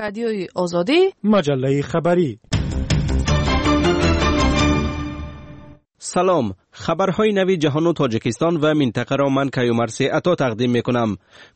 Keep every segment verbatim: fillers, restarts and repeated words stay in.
Радиои Озодӣ, маҷаллаи хабарӣ. Салом. Хабарҳои нави ҷаҳону Тоҷикистон ва минтақаро ман Каюмарси Ато тақдим мекунам.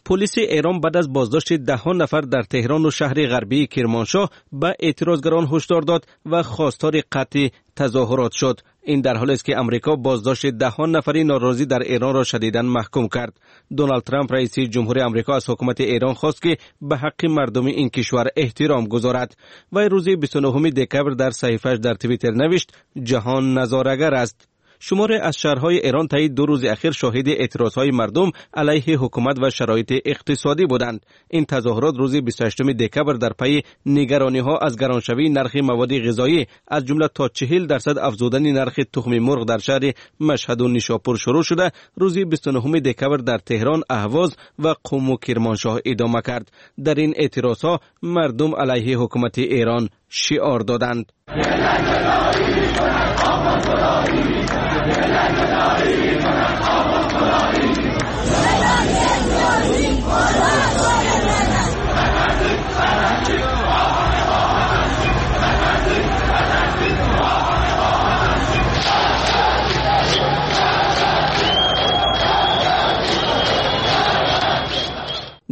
Полиси Эрон баъд аз боздошти даҳҳо нафар дар Теҳрону шаҳри ғарбии Кирмоншоҳ ба эътирозгарон ҳушдор дод ва хостори қатъи тазоҳурот шуд. Ин дар ҳолест ки Амрико боздошти даҳҳо нафари норозӣ дар Эронро шадидан маҳкум кард. Доналд Трамп, раиси ҷумҳури Амрико, аз ҳукумати Эрон хост, ки ба ҳаққи мардуми ин кишвар эҳтиром гузорад. Вай рӯзи бисту нуҳуми декабр дар саҳифааш дар Твиттер навишт: ҷаҳон назорагар аст. Шуморе аз шаҳрҳои Эрон таи ду рӯзи ахир шоҳиди эътирозҳои мардум алайҳи ҳукумат ва шароити иқтисодӣ буданд. Ин тазоҳурот рӯзи бисту ҳаштуми декабр дар пайи нигарониҳо аз гароншавии нархи маводи ғизоӣ, аз ҷумла то чиҳил дарсад афзудани нархи тухми мурғ дар шаҳри Машҳаду Нишопур шурӯъ шуда, рӯзи бисту нуҳуми декабр дар Теҳрон, Аҳвоз ва Қуму Кирмоншоҳ идома кард. Дар ин эътирозҳо мардум алайҳи ҳукумати Эрон шиор доданд.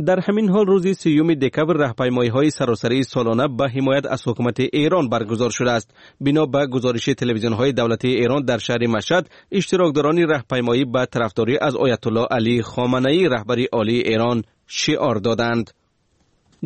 Дар ҳамин ҳол рӯзи сиюми декабр раҳпаймоиҳои саросарии солона ба ҳимоят аз ҳукумати Эрон баргузор шудааст. Бино ба гузориши телевизионҳои давлатии Эрон дар шаҳри Машҳад, иштирокдорони раҳпаймоӣ ба тарафдорӣ аз Оятуллоҳ Алӣ Хоманаӣ, раҳбари олии Эрон, шиор доданд.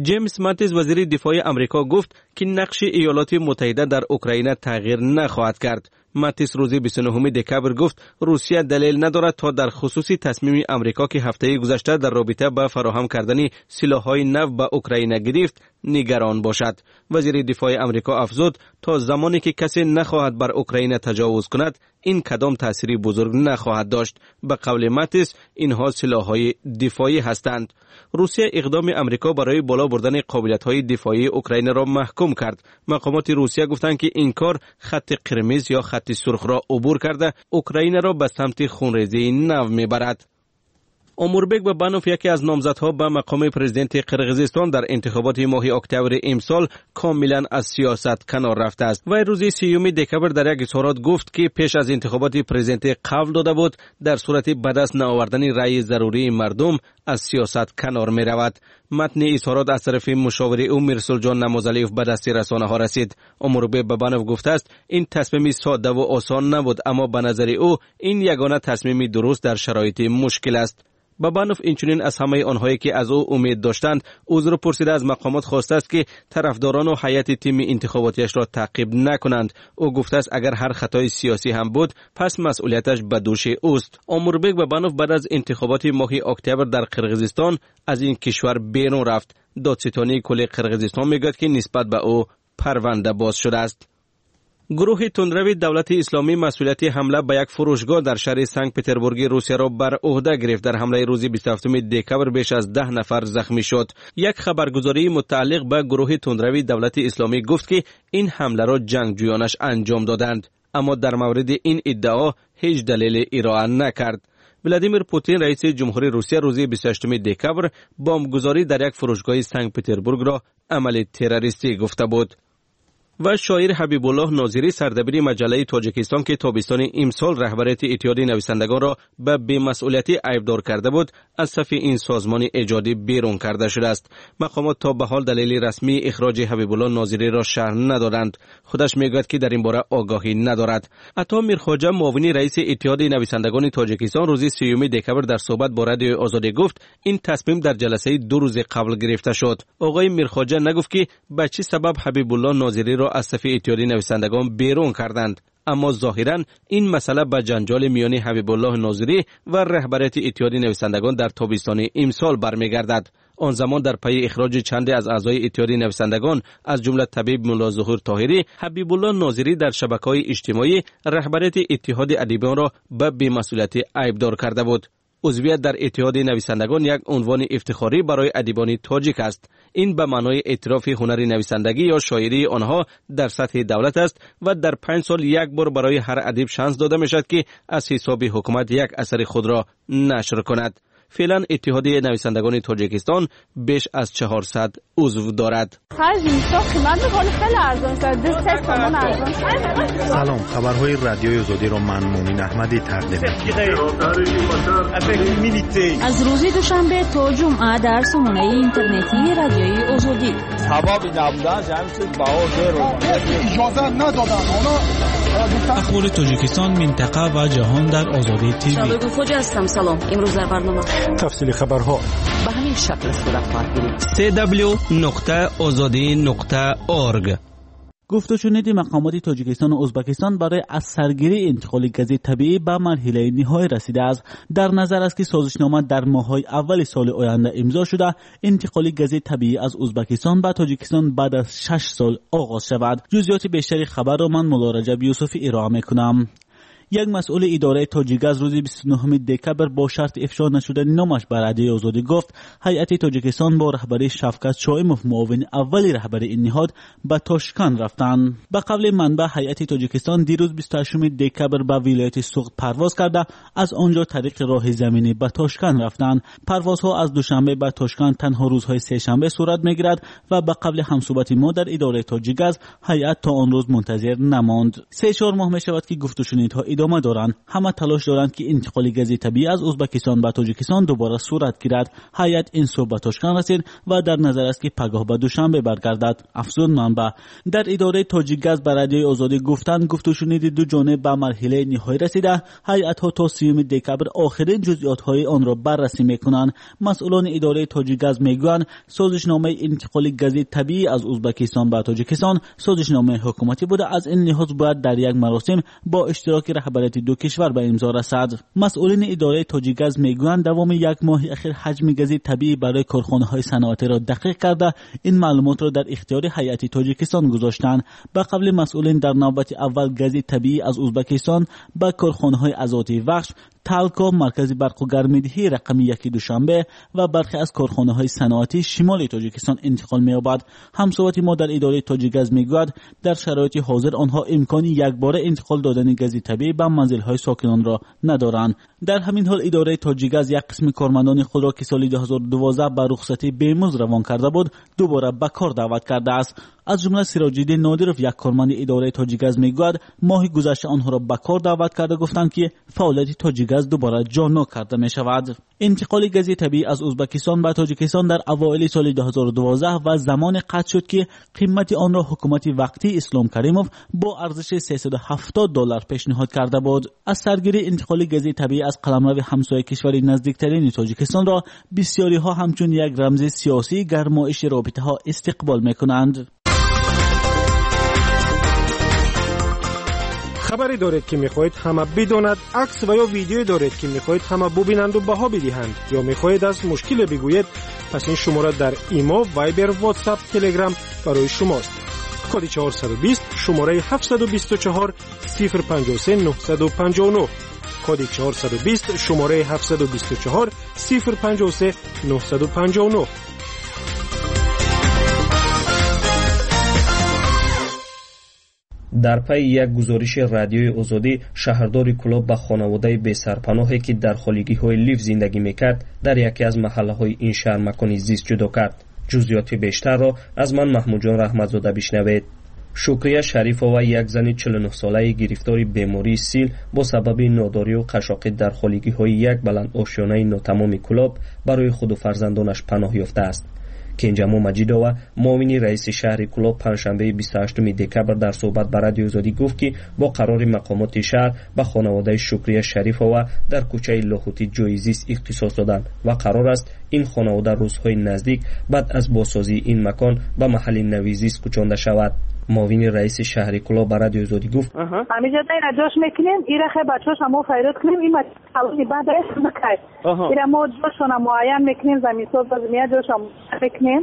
Ҷеймс Матис, вазири дифои Амрико, гуфт, ки нақши Иёлоти Муттаҳида дар Украина тағйир нахоҳад кард. Матис рӯзи бисту нуҳуми декабр гуфт, Русия далел надорад то дар хусуси тасмими Амрико, ки ҳафтаи гузашта дар робита ба фароҳам кардани силоҳҳои нав ба Украина гирифт, нигарон бошад. Вазири дифои Амрико афзуд, то замоне ки касе нахоҳад бар Украина таҷовуз кунад, ин кадом таъсири бузург нахоҳад дошт. Ба қавли Матис, инҳо силоҳҳои дифоӣ ҳастанд. Русия иқдоми Амрико барои боло бурдани қобилиятҳои дифоии Украинаро маҳкум кард. Мақомоти Русия гуфтанд, ки ин кор хатти қирмиз ё хатти сурхро убур карда, Украинаро ба самти хунрезии нав мебарад. Омурбек Бабанов, яке аз номзадҳо ба мақоми президенти Қирғизистон дар интихоботи моҳи октябри имсол, комилан аз сиёсат канор рафтааст. Вай рӯзи сиюми декабр дар як изҳорот гуфт, ки пеш аз интихоботи президентӣ қавл дода буд, дар сурати ба даст наовардани раъйи зарурии мардум аз сиёсат канор меравад. Матни изҳорот аз тарафи мушовири ӯ Мирсулҷон Намозалиев ба дасти расонаҳо расид. Омурбек Бабанов гуфтааст, ин тасмими соддаву осон набуд, аммо ба назари ӯ ин ягона тасмими дуруст дар шароити мушкил аст. Бабанов инчунин аз ҳамаи онҳое, ки аз ӯ умед доштанд, узр пурсида, аз мақомот хостааст, ки тарафдорону ҳайати тими интихоботиашро таъқиб накунанд. Ӯ гуфтааст, агар ҳар хатои сиёсӣ ҳам буд, пас масъулияташ ба дӯши ӯст. Омурбек Бабанов баъд аз интихоботи моҳи октябр дар Қирғизистон аз ин кишвар берун рафт. Додситонии кулли Қирғизистон мегӯяд, ки нисбат ба ӯ парванда боз шудааст. Гурӯҳи тундрави Давлати Исломӣ масъулияти ҳамла ба як фурӯшгоҳ дар шаҳри Санкт Петербурги Русияро бар ӯҳда гирифт. Дар ҳамлаи рӯзи бисту ҳафтуми декабр беш аз даҳ нафар захмӣ шуд. Як хабаргузории мутааллиқ ба гурӯҳи тундрави Давлати Исломӣ гуфт, ки ин ҳамларо ҷангҷӯёнаш анҷом доданд, аммо дар мавриди ин иддао ҳеҷ далеле ироа накард. Владимир Путин, раиси ҷумҳури Русия, рӯзи бисту ҳаштуми декабр бомбгузорӣ дар як фурӯшгоҳи Санкт Петербургро амали террористӣ гуфта буд. Ва шоир Ҳабибуллоҳ Нозирӣ, сардабири маҷаллаи Тоҷикистон, ки тобистони имсол раҳбарияти Иттиҳоди нависандагонро ба бемасъулиятӣ айбдор карда буд, аз сафи ин созмони эҷодӣ берун карда шудааст. Мақомот то ба ҳол далели расмии ихроҷи Ҳабибуллоҳ Нозириро шарҳ надоданд. Худаш мегӯяд, ки дар ин бора огоҳӣ надорад. Ато Мирхоҷа, муовини раиси Иттиҳоди нависандагони Тоҷикистон, рӯзи сиюми декабр дар суҳбат бо Радиои Озодӣ гуфт, ин тасмим дар ҷаласаи ду рӯзи қабл гирифта шуд. Оғои Мирхоҷа нагуфт, ки ба чӣ сабаб Ҳабибуллоҳ Нозириро аз сафи Иттиҳоди нависандагон берун карданд, аммо зоҳиран ин масъала ба ҷанҷоли миёни Ҳабибуллоҳ Нозирӣ ва раҳбарияти Иттиҳоди нависандагон дар тобистони имсол бармегардад. Он замон дар пайи ихроҷи чанде аз аъзои Иттиҳоди нависандагон, аз ҷумла табиб Мулло Зуҳур Тоҳирӣ, Ҳабибуллоҳ Нозирӣ дар шабакаҳои иҷтимоӣ раҳбарияти Иттиҳоди адибонро ба бемасъулиятӣ айбдор карда буд. Узвият дар Иттиҳоди нависандагон як унвони ифтихорӣ барои адибони тоҷик аст. Ин ба маънои эътирофи ҳунари нависандагӣ ё шоирии онҳо дар сатҳи давлат аст ва дар панҷ сол як бор барои ҳар адиб шанс дода мешавад, ки аз ҳисоби ҳукумат як асари худро нашр кунад. Феълан Иттиҳоди нависандагони Тоҷикистон беш аз чаҳорсад узв дорад. Салом, хабарҳои Радиои Озодиро ман Мумин Аҳмадӣ тақдим мекунам. Аз рӯзи душанбе то ҷумъа дар сомонаи интернетии Радиои Озодӣ. Сабаби набудан ҷамъ баҳо зеро. Иҷоза надоданд онҳо. Ахбори Тоҷикистон, минтақа ва ҷаҳон дар Озодӣ ТВ. Шабакаи Хоҷа ҳастам. Салом. Имрӯз дар барнома тафсили хабарҳо ба ҳамин шакл сурат хоҳад гирифт. си дабл ю нуқта озодӣ нуқта орг. Гуфтушуниди мақомоти Тоҷикистон ва Ӯзбекистон барои аз саргирии интиқоли гази табиӣ ба марҳилаи ниҳоӣ расидааст. Дар назар аст, ки созишнома дар моҳҳои аввали соли оянда имзо шуда, интиқоли гази табиӣ аз Ӯзбекистон ба Тоҷикистон баъд аз шаш сол оғоз шавад. Ҷузъиёти бештари хабарро ман Мулло Раҷаб Юсуфӣ ироа мекунам. Як масъули идораи Тоҷикгаз рӯзи бисту нӯҳуми декабр бо шарти ифшо нашудани номаш ба Радиои Озодӣ гуфт, ҳайати Тоҷикистон бо раҳбарии Шавкат Шоимов, муовини аввали раҳбари ин ниҳод, ба Тошканд рафтанд. Ба қавли манбаъ, ҳайати Тоҷикистон дирӯз бисту ҳаштуми декабр ба вилояти Суғд парвоз карда, аз он ҷо тариқи роҳи заминӣ ба Тошканд рафтанд. Парвозҳо аз Душанбе ба Тошканд танҳо рӯзҳои сешанбе сурат мегирад ва ба қавли ҳамсӯҳбати мо дар идораи Тоҷикгаз, ҳайат то он рӯз мунтазир намонд. Се чор моҳ мешавад, ки гуфтушунидҳо идома доранд. Ҳама талош доранд, ки интиқоли гази табиӣ аз Ӯзбекистон ба Тоҷикистон дубора сурат гирад. Ҳайат ин субҳ ба Тошканд расид ва дар назар аст, ки пагоҳ ба Душанбе баргардад. Афзуд манбаъ. Дар идораи Тоҷикгаз ба Радиои Озодӣ гуфтанд, гуфтушуниди ду ҷониб ба марҳилаи ниҳоӣ расида, ҳайатҳо то сиюми декабр охирин ҷузъиётҳои онро баррасӣ мекунанд. Масъулони идораи Тоҷикгаз мегӯянд, созишномаи интиқоли гази табиӣ аз Ӯзбекистон ба Тоҷикистон созишномаи ҳукуматӣ буда, аз ин лиҳоз бояд дар як маросим бо иштироки раҳбарияти ду кишвар ба имзо расад. Масъулини идораи Тоҷикгаз мегӯянд, давоми як моҳи ахир ҳаҷми гази табиӣ барои корхонаҳои саноатиро дақиқ карда, ин маълумотро дар ихтиёри ҳайати Тоҷикистон гузоштанд. Ба қавли масъулин, дар навбати аввал гази табиӣ аз Ӯзбекистон ба корхонаҳои Азоти Вахш, Талко, маркази барқу гармидиҳӣ рақами яки Душанбе ва бархе аз корхонаҳои саноатии шимоли Тоҷикистон интиқол меёбад. Ҳамсӯҳбати мо дар идораи Тоҷикгаз мегӯяд, дар шароити ҳозир онҳо имкони якбора интиқол додани гази табиӣ ба манзилҳои сокинонро надоранд. Дар ҳамин ҳол идораи Тоҷикгаз як қисми кормандони худро, ки соли ду ҳазору дувоздаҳ ба рухсатии бемузд равон карда буд, дубора ба кор даъват кардааст. Аз ҷумла Сироҷиддин Нодиров, як корманди идораи Тоҷикгаз, мегӯяд, моҳи гузашта онҳоро ба кор даъват карда гуфтанд, ки фаъолияти Тоҷикгаз дубора ҷоннок карда мешавад. Интиқоли гази табиӣ аз Ӯзбекистон ба Тоҷикистон дар авоили соли ду ҳазору дувоздаҳ ва замоне қатъ шуд, ки қимати онро ҳукумати вақтии Ислом Каримов бо арзиши сесаду ҳафтод доллар пешниҳод карда буд. Аз саргирии интиқоли гази табиӣ аз қаламрави ҳамсояи кишвари наздиктарини Тоҷикистонро бисёриҳо ҳамчун як рамзи сиёсии гармоиши робитаҳо истиқбол мекунанд. Хабаре доред, ки мехоҳед ҳама бидонад, акс ва ё видеое доред, ки мехоҳед ҳама бубинанду баҳо бидиҳанд, ё мехоҳед аз мушкиле бигӯед, пас ин шумора дар Имо, Вайбер, Ватсап, Телеграм барои шумост. Коди чорсаду бист, шумораи ҳафтсаду бисту чор, сифр панҷоҳу се, нӯҳсаду панҷоҳу нӯҳ. Коди чорсаду бист, шумораи ҳафтсаду бисту чор, сифр панҷоҳу се, нӯҳсаду панҷоҳу нӯҳ. Дар пайи як гузориши Радиои Озодӣ, шаҳрдори Кӯлоб ба хонаводаи бесарпаноҳе, ки дар холигиҳои лифт зиндагӣ мекард, дар яке аз маҳаллаҳои ин шаҳр макони зист ҷудо кард. Ҷузъиёти бештарро аз ман Маҳмудҷон Раҳматзода бишнавед. Шукрия Шарифова, як зани чилу нӯҳсолаи гирифтори бемории сил, бо сабаби нодорию қашоқӣ дар холигиҳои як баландошёнаи нотамоми Кӯлоб барои худу фарзандонаш паноҳ ёфтааст. Кенҷамо Маҷидова, муовини раиси шаҳри Кӯлоб, панҷшанбеи бисту ҳаштуми декабр дар суҳбат ба Радиои Озодӣ гуфт, ки бо қарори мақомоти шаҳр ба хонаводаи Шукрия Шарифова дар кӯчаи Лоҳутӣ ҷои зист ихтисос доданд ва қарор аст ин хонавода рӯзҳои наздик баъд аз бозсозии ин макон ба маҳалли нави зист кӯчонда шавад. Муовини раиси шаҳри Кӯлоб ба Радиои Озодӣ гуфт: ҳамиҷа ира ҷош мекунем, ира хе бачаҳоша мо файрод кунем, ин қалони баъд накай. Ира мо ҷошона муайян мекунем, заминсоз базмия ҷоша мекунем.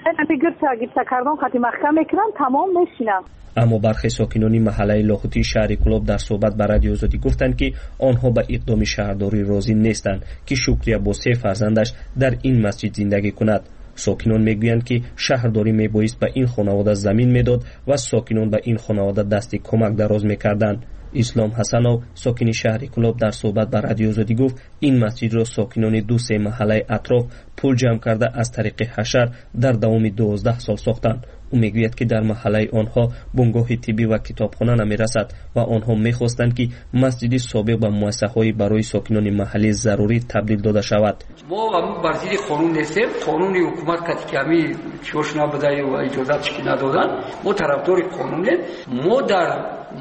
Хе гирча гирча кардон қати маҳкам мекунам, тамом мешинам. Аммо бархе сокинони маҳаллаи Лоҳутии шаҳри Кӯлоб дар суҳбат ба Радиои Озодӣ гуфтанд, ки онҳо ба иқдоми шаҳрдорӣ розӣ нестанд, ки Шукрия бо се фарзандаш дар ин масҷид зиндагӣ кунад. Сокинон мегӯянд, ки шаҳрдорӣ мебоист ба ин хонавода замин медод ва сокинон ба ин хонавода дасти кӯмак дароз мекарданд. Ислом Ҳасанов, сокини шаҳри Кӯлоб, дар суҳбат ба Радиои Озодӣ гуфт, ин масҷидро сокинони ду се маҳаллаи атроф пул ҷамъ карда аз тариқи ҳашар дар давоми дувоздаҳ сол сохтанд. Ӯ мегӯяд, ки дар маҳаллаи онҳо бунгоҳи тиббӣ ва китобхона намерасад ва онҳо мехостанд, ки масҷиди собиқ ба муассисаҳои барои сокинони маҳаллӣ зарурӣ табдил дода шавад. Мо бар зидди қонун нестем. Қонуни ҳукумат кати ки ҳамин чиҳош набуда ва иҷозатш ки надоданд, мо тарафдори қонунем. Мо дар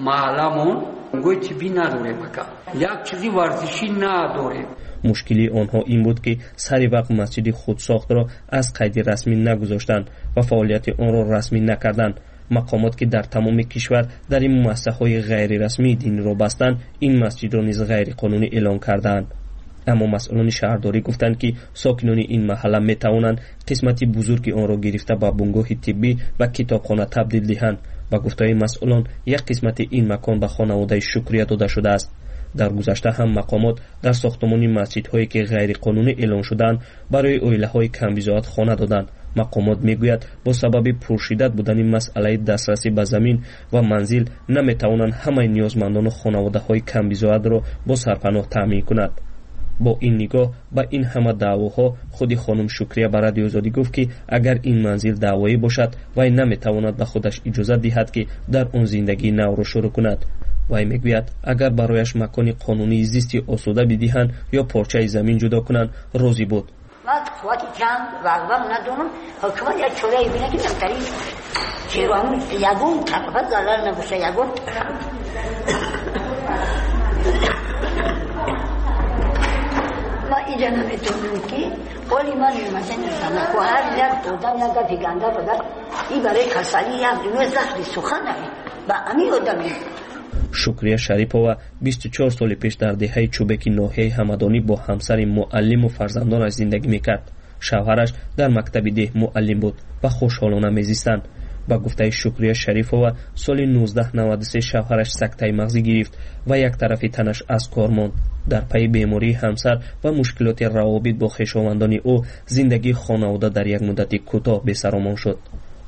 маҳалламон бунгоҳи тиббӣ надорем, ака, як чизи варзишӣ надорем. Мушкилии онҳо ин буд, ки сари вақт масҷиди худсохтро аз қайди расмӣ нагузоштанд ва фаъолияти онро расмӣ накарданд. Мақомот, ки дар тамоми кишвар дар ин муассисаҳои ғайрирасмии диниро бастанд, ин масҷидро низ ғайриқонунӣ эълон кардаанд. Аммо масъулони шаҳрдорӣ гуфтанд, ки сокинони ин маҳалла метавонанд қисмати бузурги онро гирифта ба бунгоҳи тиббӣ ва китобхона табдил диҳанд. Ба гуфтаи масъулон, як қисмати ин макон ба хонаводаи Шукрия дода шудааст. Дар гузашта ҳам мақомот дар сохтмони масҷидҳое, ки ғайриқонунӣ эълон шудаанд, барои оилаҳои камбизоат хона доданд. Мақомот мегӯяд, бо сабаби пуршиддат будани масъалаи дастрасӣ ба замин ва манзил наметавонанд ҳамаи ниёзмандону хонаводаҳои камбизоатро бо сарпаноҳ таъмин кунад. Бо ин нигоҳ ба ин ҳама даъвоҳо, худи хонум Шукрия ба Радиои Озодӣ гуфт, ки агар ин манзил даъвоӣ бошад, вай наметавонад ба худаш иҷозат диҳад, ки дар он зиндагии навро шурӯъ кунад. Вай мегӯяд, агар барояш макони қонунии зисти осуда бидиҳанд ё порчаи замин ҷудо кунанд, розӣ буд. Ман қуввати ҷанг рағбам надорам. Ҳукумат як чорае бинад, ки дар ин ягон тарафа зарар набошад, ягон ман инҷа наметавонам, ки оли ман масалан ҳар як одам як гапи ганда бадад, ин барои касалӣ як дунё захри сухан ба ҳамин одаме. Шукрия Шарипова бисту чор соли пеш дар деҳаи Чӯбеки ноҳияи Ҳамадонӣ бо ҳамсари муаллиму фарзандонаш зиндагӣ мекард. Шавҳараш дар мактаби деҳ муаллим буд ва хушҳолона мезистанд. Ба гуфтаи Шукрия Шарифова, соли нуздаҳ наваду се шавҳараш сактаи мағзӣ гирифт ва як тарафи танаш аз кор монд. Дар пайи бемории ҳамсар ва мушкилоти равобит бо хешовандони ӯ, зиндагии хонавода дар як муддати кӯтоҳ бесаромон шуд.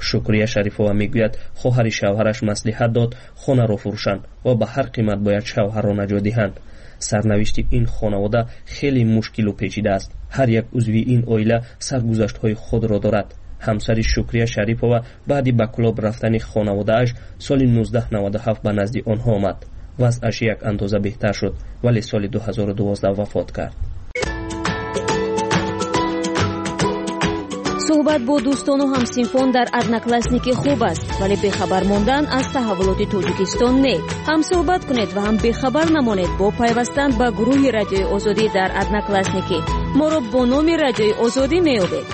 Шукрия Шарифова мегӯяд, хоҳари шавҳараш маслиҳат дод хонаро фурӯшанд ва ба ҳар қимат бояд шавҳарро наҷот диҳанд. Сарнавишти ин хонавода хеле мушкилу печида аст. Ҳар як узви ин оила саргузаштҳои худро дорад. Ҳамсари Шукрия Шарипова баъди ба Кӯлоб рафтани хонаводааш соли нуздаҳ наваду ҳафт ба назди онҳо омад. Вазъаш як андоза беҳтар шуд, вале соли ду ҳазору дувоздаҳ вафот кард. Суҳбат бо дӯстону ҳамсинфон дар Одноклассники хуб аст, вале бехабар мондан аз таҳаввулоти Тоҷикистон не. Ҳам суҳбат кунед ва ҳам бехабар намонед бо пайвастан ба гурӯҳи Радиои Озодӣ дар Одноклассники. Моро бо номи Радиои Озодӣ меёбед.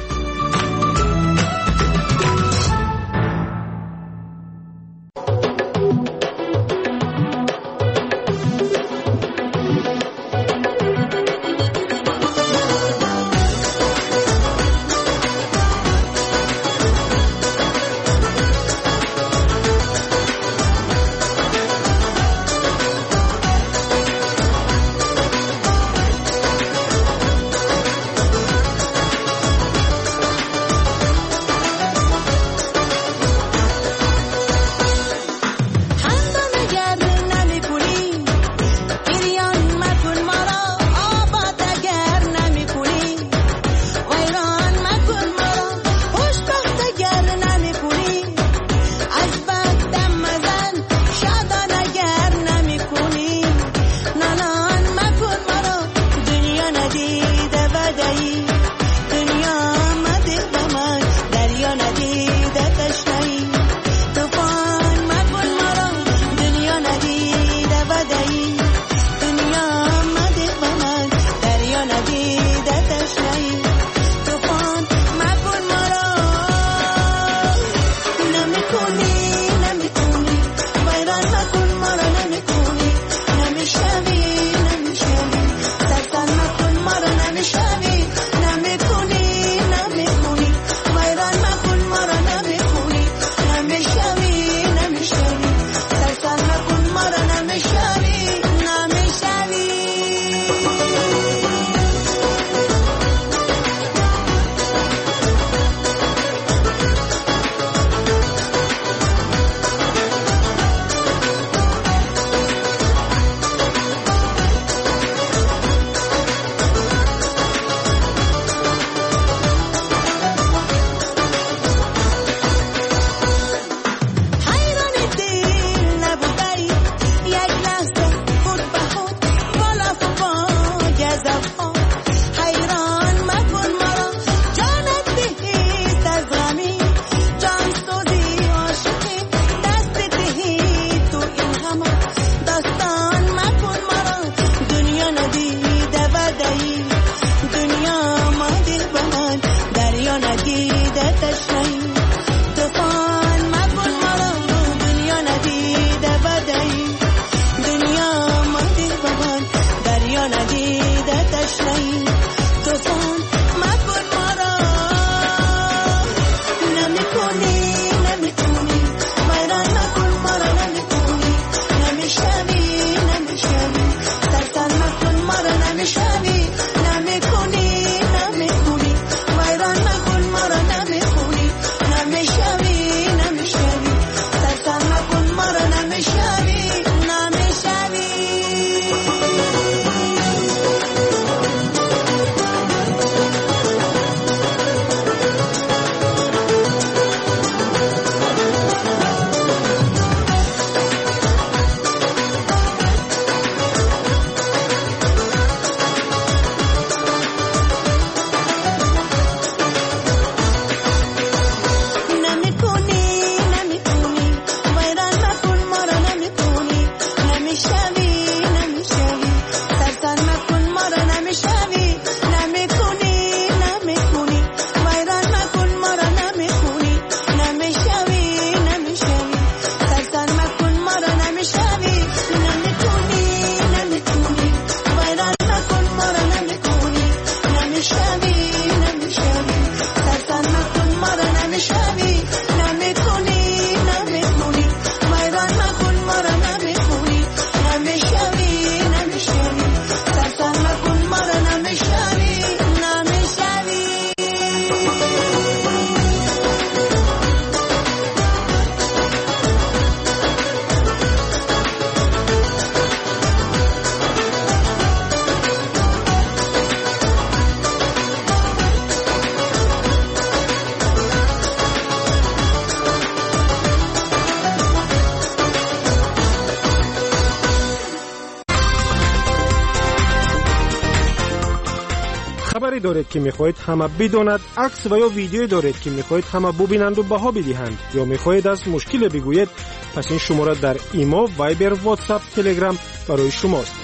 доред, ки мехоҳед ҳама бидонад, акс ва ё видеое доред, ки мехоҳед ҳама бубинанду баҳо бидиҳанд, ё мехоҳед аз мушкиле бигӯед, пас ин шумора дар Имо, Вайбер, Ватсап, Телеграм барои шумост.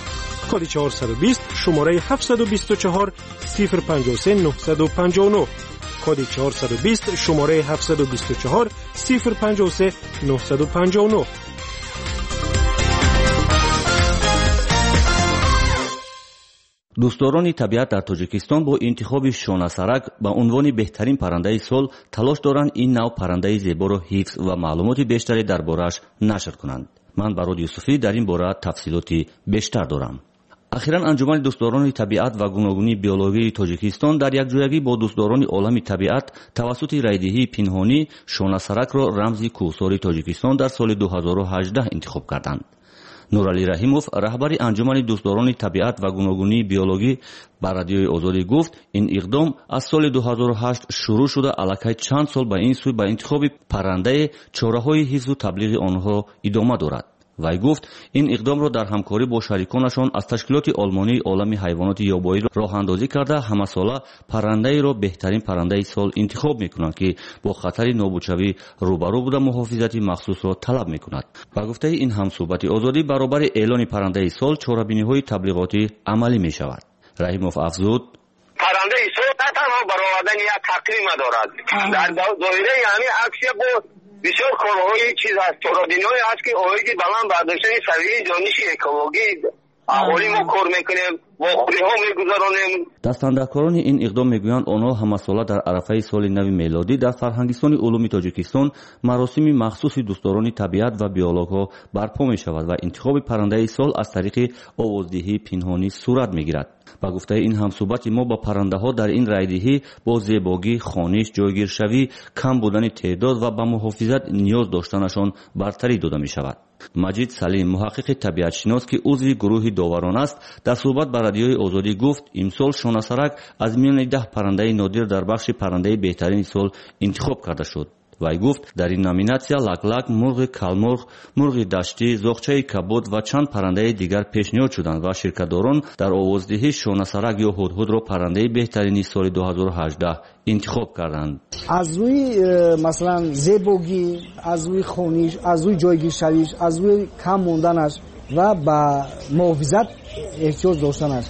Коди чорсаду бист, шумораи ҳафтсаду бисту чор, сифр панҷоҳу се, нӯҳсаду панҷоҳу нӯҳ. Коди чорсаду бист, шумораи ҳафтсаду бисту чор, сифр панҷоҳу се, нӯҳсаду панҷоҳу нӯҳ. Дӯстдорони табиат дар Тоҷикистон бо интихоби шонасарак ба унвони беҳтарин паррандаи сол талош доранд ин нав паррандаи зеборо ҳифз ва маълумоти бештаре дар борааш нашр кунанд. Ман Барод Юсуфӣ дар ин бора тафсилоти бештар дорам. Ахиран анҷумани дӯстдорони табиат ва гуногунии биологии Тоҷикистон дар якҷоягӣ бо дӯстдорони олами табиат тавассути райдиҳии пинҳонӣ шонасаракро рамзи кӯҳсори Тоҷикистон дар соли ду ҳазору ҳаждаҳ интихоб карданд. Нуралӣ Раҳимов, раҳбари анҷумани дӯстдорони табиат ва гуногунии биологӣ, ба Радиои Озодӣ гуфт, ин иқдом аз соли ду ҳазору ҳашт шурӯъ шуда, аллакай чанд сол ба ин сӯй ба интихоби паррандае чораҳои ҳифзу таблиғи онҳо идома дорад. Вай гуфт, ин иқдомро дар ҳамкорӣ бо шариконашон аз ташкилоти олмонии олами ҳайвоноти ёбоӣ роҳандозӣ карда, ҳамасола паррандаеро беҳтарин паррандаи сол интихоб мекунанд, ки бо хатари нобудшавӣ рӯбарӯ буда муҳофизати махсусро талаб мекунад. Ба гуфтаи ин ҳамсӯҳбати Озодӣ, баробари эълони паррандаи сол чорабиниҳои таблиғотӣ амалӣ мешавад. Раҳимов афзуд: паррандаи сол на танҳо баровардани як тақвима дорад, дар доираи ҳамин аксия бо бисёр корҳои чиз ҳаст, чорабиниҳое ҳаст, ки оиди баланд бардоштани савияи дониши экологӣ аҳолӣ мо кор мекунем, вохӯриҳо мегузаронем. Дастандаркорони ин иқдом мегӯянд, онҳо ҳамасола дар арафаи соли нави мелодӣ дар Фарҳангистони улуми Тоҷикистон маросими махсуси дӯстдорони табиат ва биологҳо барпо мешавад ва интихоби паррандаи сол аз тариқи овоздиҳии пинҳонӣ сурат мегирад. Ба гуфтаи ин ҳамсӯҳбати мо, ба паррандаҳо дар ин райдиҳӣ бо зебогӣ, хониш, ҷойгиршавӣ, кам будани теъдод ва ба муҳофизат ниёз доштанашон бартарӣ дода мешавад. Маҷид Салим, муҳаққиқи табиатшинос, ки узви гурӯҳи доварон аст, дар суҳбат ба Радиои Озодӣ гуфт, имсол шонасарак аз миёни даҳ паррандаи нодир дар бахши паррандаи беҳтарини сол интихоб карда шуд. Вай гуфт, дар ин номинатсия лаклак, мурғи калмурғ, мурғи даштӣ, зоғчаи кабуд ва чанд паррандаи дигар пешниҳод шуданд ва ширкатдорон дар овоздиҳӣ шонасарак ё ҳудҳудро паррандаи беҳтарини соли ду ҳазору ҳаждаҳ интихоб карданд. Аз рӯи масалан зебогӣ, аз рӯи хониш, аз рӯи ҷойгиршавиш, аз рӯи кам монданаш ва ба муҳофизат эҳтиёҷ доштанаш.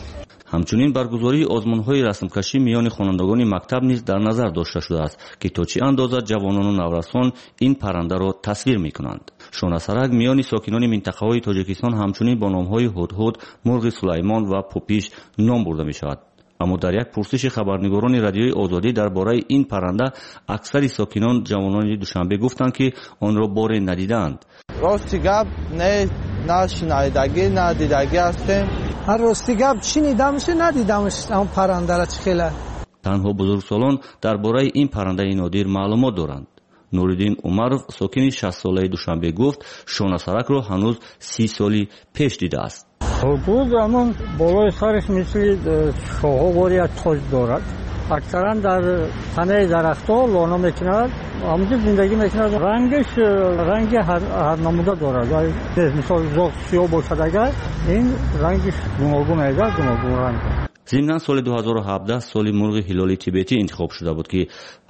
Ҳамчунин баргузории озмунҳои расмкашӣ миёни хонандагони мактаб низ дар назар дошта шудааст, ки то чӣ андоза ҷавонону наврасон ин паррандаро тасвир мекунанд. Шонасарак миёни сокинони минтақаҳои Тоҷикистон ҳамчунин бо номҳои ҳудҳуд, мурғи Сулаймон ва пупиш ном бурда мешавад. Аммо дар як пурсиши хабарнигорони Радиои Озодӣ дар бораи ин парранда аксари сокинон ҷавонони Душанбе гуфтанд, ки онро боре надидаанд. Рости гап не, на шинайдагӣ, на дидагӣ ҳастем. Рости гап шинидамш, надидамш он паррандара чӣ хела. Танҳо бузургсолон дар бораи ин паррандаи нодир маълумот доранд. Нуриддин Умаров, сокини шастсолаи Душанбе, гуфт, шонасаракро ҳанӯз си соли пеш дидааст. Ҳудуд ҳамон болои сараш мисли шоҳовор як тоҷ дорад. Аксаран дар танаи дарахтҳо лона мекунад, ҳамонҷо зиндагӣ мекунад. Рангаш ранги ҳар намуда дорад. Мисол зоғ сиёҳ бошад, агар ин рангаш гуногун меояд, гуногун ранг. Зимнан соли ду ҳазору ҳабдаҳ соли мурғи ҳилоли тибетӣ интихоб шуда буд, ки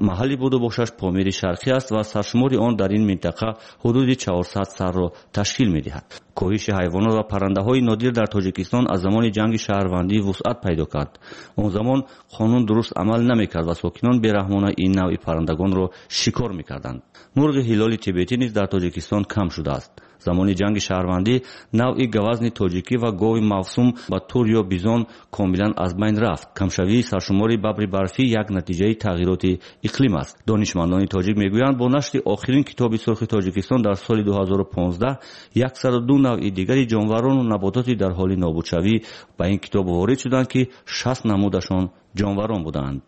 маҳалли буду бошаш Помири Шарқӣ аст ва саршумори он дар ин минтақа ҳудуди чорсад сарро ташкил медиҳад. Коҳиши ҳайвонот ва паррандаҳои нодир дар Тоҷикистон аз замони ҷанги шаҳрвандӣ вусъат пайдо кард. Он замон қонун дуруст амал намекард ва сокинон бераҳмона ин навъи паррандагонро шикор мекарданд. Мурғи ҳилоли тибетӣ низ дар Тоҷикистон кам шудааст. Замони ҷанги шаҳрвандӣ навъи гавазни тоҷикӣ ва гови мавсум ба тур ё бизон комилан аз байн рафт. Камшавии саршумори бабри барфӣ як натиҷаи тағйироти иқлим аст. Донишмандони тоҷик мегӯянд, бо нашри охирин китоби сурхи Тоҷикистон дар соли ду ҳазору понздаҳ яксаду ду навъи дигари ҷонварону набототи дар ҳоли нобудшавӣ ба ин китоб ворид шуданд, ки шаст намудашон ҷонварон буданд.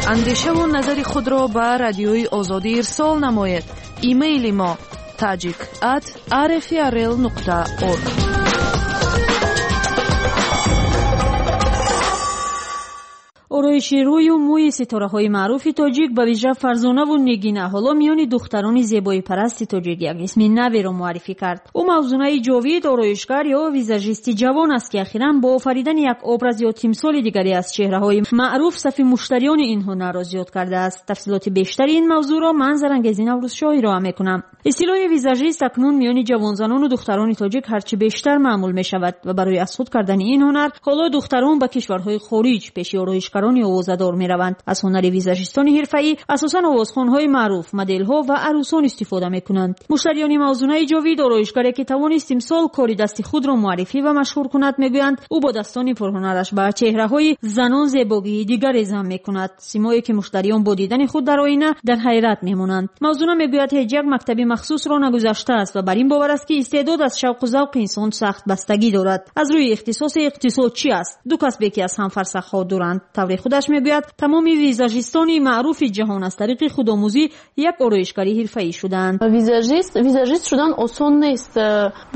Андешаву назари худро ба Радиои Озодӣ ирсол намоед. Имейли мо tajik at rfrl нуқта org. Ороиши рӯю мӯи ситораҳои маъруфи тоҷик, ба вижа Фарзонаву Нигина, ҳоло миёни духтарони зебоипарасти тоҷик як исми наверо муаррифӣ кард. Ӯ Мавзунаи Ҷовид, ороишгар ё визажисти ҷавон аст, ки ахиран бо офаридани як образ ё тимсоли дигаре аз чеҳраҳои маъруф сафи муштариёни ин ҳунарро зиёд кардааст. Тафсилоти бештари ин мавзӯъро ман Зарангези Наврӯзшоҳ ироа мекунам. Истилоҳи визажист акнун миёни ҷавонзанону духтарони тоҷик ҳарчи бештар маъмул мешавад ва барои аз худ кардани ин ҳунар ҳоло духтарон ба кишварҳои хориҷ пеши ороишгарони овозадор мераванд. Аз ҳунари визажистони ҳирфаӣ асосан овозхонҳои маъруф, моделҳо ва арӯсон истифода мекунанд. Муштариёни Мавзунаи Ҷовид, ороишгаре ки тавонист имсол кори дасти худро муаррифӣ ва машҳур кунад, мегӯянд ӯ бо дастони пурҳунараш ба чеҳраҳои занон зебогии дигаре зам мекунад, симое ки муштариён бо дидани худ дар оина дар ҳайрат мемонанд. Мавзуна мегӯяд ҳеҷ як мактаби махсусро нагузаштааст ва бар ин бовар аст, ки истеъдод аз шавқу завқи инсон сахт бастагӣ дорад. Аз рӯи ихтисоси иқтисод чӣ аст? Ду касбе ки аз ҳам фарсахҳо дуранд. Тавре худаш мегӯяд, тамоми визажистони маъруфи ҷаҳон аз тариқи худомӯзӣ як ороишгари ҳирфаӣ шуданд. Визажист визажист шудан осон нест,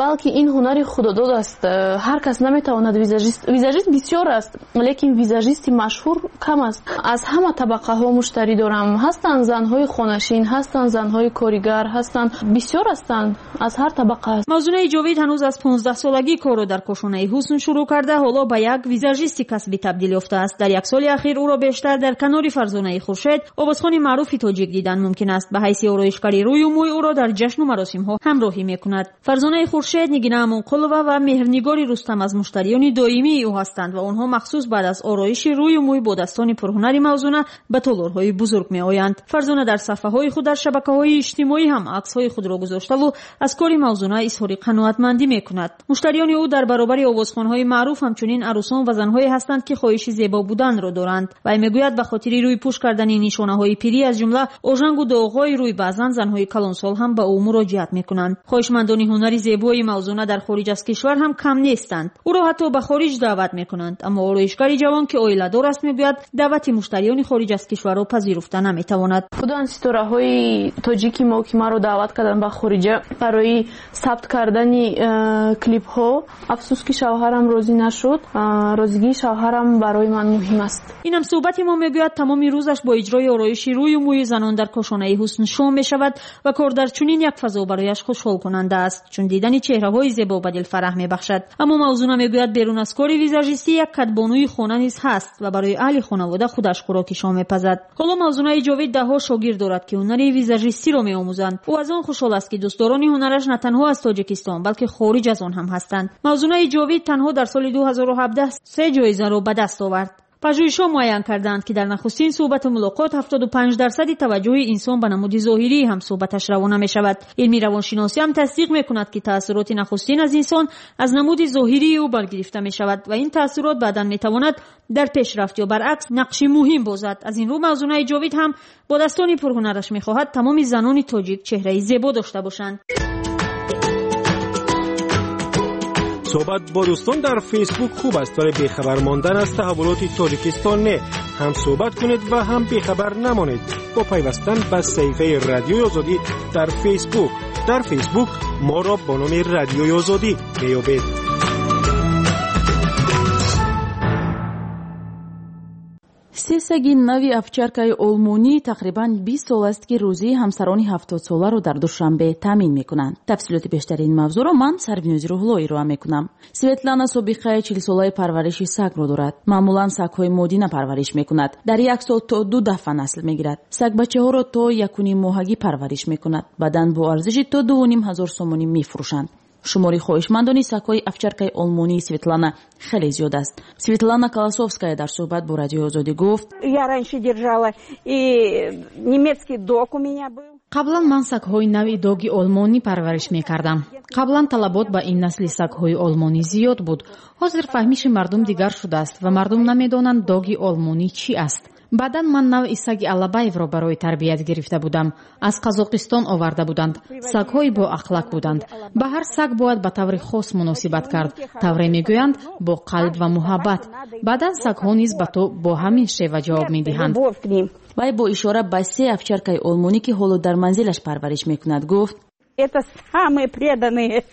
балки ин ҳунари худодод аст. Ҳар кас наметавонад визажист. Визажист бисёр аст, лекин визажисти машҳур кам аст. Аз ҳама табақаҳо муштарӣ дорам. Ҳастанд занҳои хонашин, ҳастанд занҳои коригар, ҳастанд, бисёр ҳастанд, аз ҳар табақа аст. Мавзунаи Ҷовид ҳанӯз аз понздаҳсолагӣ корро дар кошонаи ҳусн шурӯъ карда, ҳоло ба як визажисти касбӣ табдил ёфтааст. Дар як соли ахир ӯро бештар дар канори Фарзонаи Хуршед, овозхони маъруфи тоҷик, дидан мумкин аст. Ба ҳайси ороишгари рӯю мӯй ӯро дар ҷашну маросимҳо ҳамроҳӣ мекунад. Фарзонаи Хуршед, Нигина Амонқулова ва Меҳрнигори Рустам аз муштариёни доимии ӯ ҳастанд ва онҳо махсус баъд аз ороиши рӯю мӯй бо дастони пурҳунари Мавзуна ба толорҳои бузург меоянд. Фарзона дар саҳфаҳои худ дар шабакаҳои иҷтимоӣ ҳам аксҳои худро гузоштаву аз кори Мавзуна изҳори қаноатмандӣ мекунад. Муштариёни ӯ дар баробари овозхонҳои маъруф ҳамчунин арӯсон ва занҳое ҳастанд, ки хоҳиши зебо буданро доранд. Вай мегӯяд ба хотири рӯйпӯш кардани нишонаҳои пирӣ, аз ҷумла ожангу доғҳои рӯй, баъзан занҳои калонсол ҳам ба ӯ муроҷиат мекунанд. Хоҳишмандони ҳунари зебои Мавзуна дар хориҷ аз кишвар ҳам кам нестанд. Ӯро ҳатто ба хориҷ даъват мекунанд. Аммо ороишгари ҷавон, ки оиладор аст, мегӯяд даъвати муштариёни хориҷ аз кишварро пазируфта наметавонад. Худоанд ситораҳои тоҷики мо, ки маро даъват карданд ба хориҷа барои сабт кардани клипҳо. Афсӯс ки шавҳарам розӣ нашуд. Розигии шавҳарам барои ман муҳим аст. Инам суҳбати мо мегӯяд тамоми рӯзаш бо иҷрои ороиши рӯю мӯи занон дар кошонаи ҳусн шом мешавад ва кор дар чунин як фазо барояш хушҳолкунанда аст, чун дидани чеҳраҳои зебо ба дил фараҳ мебахшад. Аммо Мавзуна мегӯяд берун аз кори визажистӣ як кадбонуи хона низ ҳаст ва барои аҳли хонавода худаш хӯроки шом мепазад. Ҳоло Мавзунаи Ҷовид даҳҳо шогирд дорад, ки ҳунари визажистиро меомӯзанд. Ӯ аз он хушҳол аст, ки дӯстдорони ҳунараш на танҳо аз Тоҷикистон, балки хориҷ аз он ҳам ҳастанд. Мавзунаи Ҷовид танҳо дар соли ду ҳазору ҳабдаҳ се ҷоизаро ба даст овард. Пажӯҳишҳо муайян карданд, ки дар нахустин суҳбату мулоқот ҳафтоду панҷ дарсади таваҷҷӯҳи инсон ба намуди зоҳирии ҳамсуҳбаташ равона мешавад. Илми равоншиносӣ ҳам тасдиқ мекунад, ки таассуроти нахустин аз инсон аз намуди зоҳирии ӯ баргирифта мешавад ва ин таассурот баъдан метавонад дар пешрафт ё баръакс нақши муҳим бозад. Аз ин рӯ Мавзунаи Ҷовид ҳам бо дастони пурҳунараш мехоҳад тамоми занони тоҷик чеҳраи зебо дошта бошанд. Суҳбат бо дӯстон дар Фейсбук хуб аст, вале бехабар мондан аз таҳаввулоти Тоҷикистон не. Ҳам суҳбат кунед ва ҳам бехабар намонед бо пайвастан ба саҳифаи Радиои Озодӣ дар Фейсбук. Дар Фейсбук моро бо номи Радиои Озодӣ меёбед. Се саги нави овчаркаи олмонӣ тақрибан бист сол аст, ки рӯзии ҳамсарони ҳафтодсоларо дар Душанбе таъмин мекунанд. Тафсилоти бештари ин мавзӯъро ман Сарвинози Рӯҳло ироа мекунам. Светлана собиқаи чилсолаи парвариши сагро дорад. Маъмулан сагҳои модина парвариш мекунад. Дар як сол то ду дафъа насл мегирад. Сагбачаҳоро то якуним моҳагӣ парвариш мекунад. Баъдан бо арзиши то дувуним ҳазор сомонӣ мефурӯшанд. Шумори хоҳишмандони сагҳои овчаркаи олмонии Светлана хеле зиёд аст. Светлана Колосовская дар суҳбат бо Радиои Озодӣ гуфт: Я раньше держала и немецкий дог у меня был. Қаблан ман сагҳои нави доги олмонӣ парвариш мекардам. Қаблан талабот ба ин насли сагҳои олмонӣ зиёд буд. Ҳозир фаҳмиши мардум дигар шудааст ва мардум намедонанд доги олмонӣ чӣ аст. Баъдан ман навъи саги Алабаевро барои тарбият гирифта будам. Аз Қазоқистон оварда буданд. Сагҳои боахлақ буданд. Ба ҳар саг бояд ба таври хос муносибат кард. Тавре мегӯянд, бо қалб ва муҳаббат. Баъдан сагҳо низ ба ту бо ҳамин шева ҷавоб медиҳанд. Вай бо ишора ба се овчаркаи олмонӣ, ки ҳоло дар манзилаш парвариш мекунад, гуфт: Это самые преданные.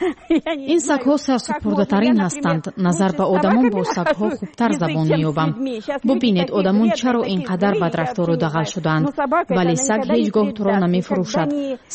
Ин сагҳо сарсупурдатарин ҳастанд. Назар ба одамон бо сагҳо хубтар забон меёбам. Бубинед, одамон чаро ин қадар бадрафтору дағал шудаанд, вале саг ҳеҷ гоҳ туро намефурӯшад.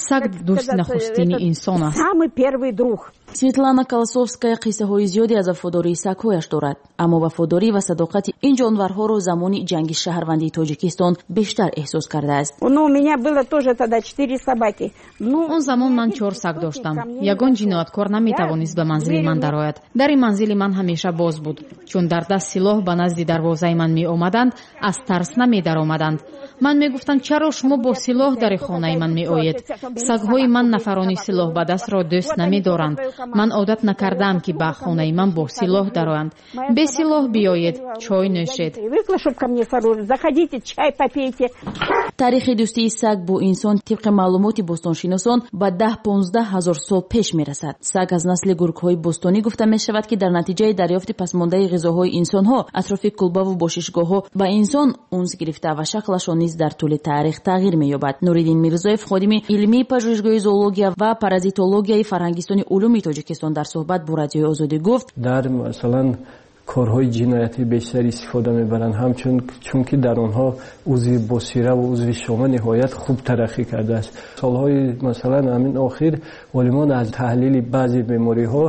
Саг дӯсти нахустини инсон аст. Самый первый друг. Светлана Колосовская қиссаҳои зиёде аз вафодории сагҳояш дорад, аммо вафодорӣ ва садоқати ин ҷонварҳоро замони ҷанги шаҳрвандии Тоҷикистон бештар эҳсос кардааст. Ну, у меня было тоже тогда четыре собаки. Ну, он замон ман чор саг доштам. Ягон ҷинояткор наметавонист ба манзили ман дарояд. Дари манзили ман ҳамеша боз буд. Чун дар даст силоҳ ба назди дарвозаи ман меомаданд, аз тарс намедаромаданд. Ман мегуфтам, чаро шумо бо силоҳ дари хонаи ман меоед? Сагҳои ман нафарони силоҳ ба дастро дӯст намедоранд. Ман одат накардаам, ки ба хонаи ман бо силоҳ дароянд. Бе силоҳ биёед, чой нӯшед. Таърихи дӯстии саг бо инсон тибқи маълумоти бостоншиносон ба даҳ понздаҳ ҳазор сол пеш мерасад. Саг аз насли гургҳои бостонӣ гуфта мешавад, ки дар натиҷаи дарёфти пасмондаи ғизоҳои инсонҳо атрофи кулбаву бошишгоҳҳо ба инсон унс гирифта ва шаклашон низ дар тӯли таърих тағйир меёбад. Нуриддин Мирзоев, ходими илмии пажӯҳишгоҳи зоология ва паразитологияи Фарҳангистони улуми Тоҷикистон, дар суҳбат бо Радиои Озодӣ гуфт: дар масалан корҳои ҷиноятӣ бештар истифода мебаранд, ҳамчун чунки дар онҳо узви босира ва узви шома ниҳоят хуб тараққӣ кардааст. Солҳои масалан ҳамин охир олимон аз таҳлили баъзе бемориҳо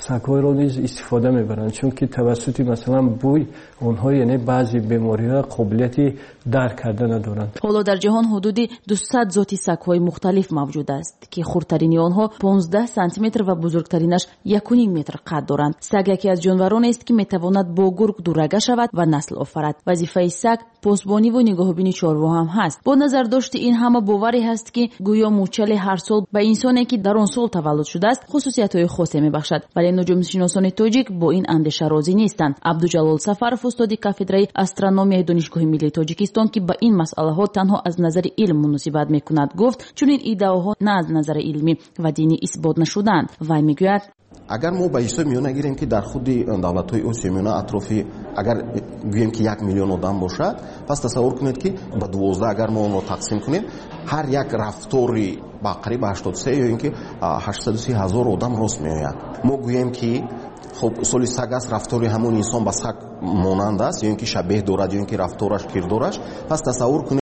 сагҳоро низ истифода мебаранд, чунки тавассути масалан бӯй онҳо яъне баъзе бемориҳо қобилияти дарк карда надоранд. Ҳоло дар ҷаҳон ҳудуди дусад зоти сагҳои мухталиф мавҷуд аст, ки хурдтарини онҳо понздаҳ сантиметр ва бузургтаринаш якуним метр қад доранд. Саг яке аз ҷонваронест, ки метавонад бо гург дурага шавад ва насл офарад. Вазифаи саг посбониву нигоҳубини чорво ҳам ҳаст. Бо назардошти ин ҳама боварӣ ҳаст, ки гӯё мӯчали ҳар сол ба инсоне, ки дар он сол таваллуд шудааст, хусусиятҳои хосе мебахшад. Вале нуҷумшиносони тоҷик бо ин андеша розӣ нестанд. Абдуҷалол Сафаров, устоди кафедраи астрономияи Донишгоҳи миллии Тоҷикистон, ки ба ин масъалаҳо танҳо аз назари илм муносибат мекунад, гуфт чунин иддаоҳо на аз назари илмӣ ва динӣ исбот нашудаанд. Вай мегӯяд: агар мо ба ҳисоб миёна гирем, ки дар худи давлатҳои Осиёи Миёна атрофи агар гӯем, ки як миллион одам бошад, пас тасаввур кунед, ки ба дувоздаҳ агар мо онро тақсим кунем, ҳар як рафтори ба қариб ҳаштоду се ё ин ки ҳаштсаду си ҳазор одам рост меояд. Мо гӯем, ки хуб соли саг аст, рафтори ҳамон инсон ба саг монанд аст, ё ин ки шабеҳ дорад, ё ин ки рафтораш, кирдораш, пас тасаввур кунед.